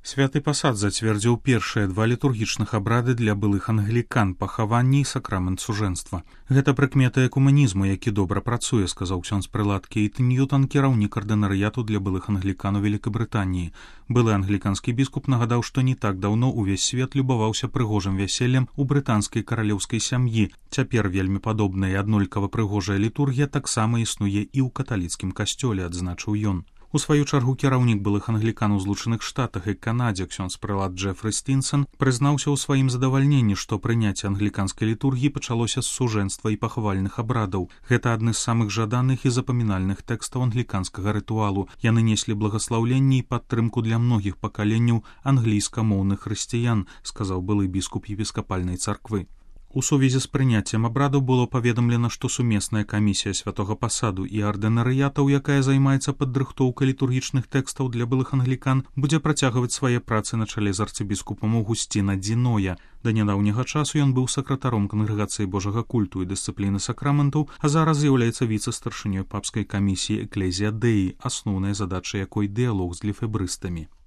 Святы пасад зацвердзіў першыя 2 літургічных абрады для былых англікан, пахаванні і сакрамент сужэнства. Гэта прыкмета экумэнізму, які добра працуе, сказаў ксёндз прылад Кейт Ньютон, кіраўнік ардынарыяту для былых англікан у Великабрытаніі. Былы англіканскі біскуп нагадаў, што не так даўно ўвесь свет любаваўся прыгожым вяселлем у брытанскай каралеўскай сям'і. Цяпер вельмі падобная і аднолькава прыгожая літургія таксама існуе і ў каталіцкім касцёле, адзначыў ён. У сваю чаргу кіраўнік былых англікан у Злучаных Штатах і Канадзе ксёндз прылад Джефры Стінсон прызнаўся ў сваім задавальненні, што прыняцце англіканскай літургіі пачалося з сужэнства і пахавальных абрадаў. Гэта адны з самых жаданых і запамінальных тэкстаў англіканскага рытуалу. Яны неслі благаслаўленне і падтрымку для многіх пакаленняў англійскамоўных хрысціян, сказаў былы біскуп епіскапальнай царквы. У сувязі з прыняццем абраду было паведамлена, што сумесная камісія святога пасаду і ардынарыятаў, якая займаецца падрыхтоўкай літургічных тэкстаў для былых англікан, будзе працягваць свае працы на чале з арцыбіскупам Аўгусціна Дзіноя. Да нядаўняга часу ён быў сакратаром кангрэгацыі Божага культу і дысцыпліны сакраментаў, а зараз з'яўляецца віцэ-старшынёй папскай камісіі Экклезія Дэі, асноўная задача якой дыялог з лефебрыстамі.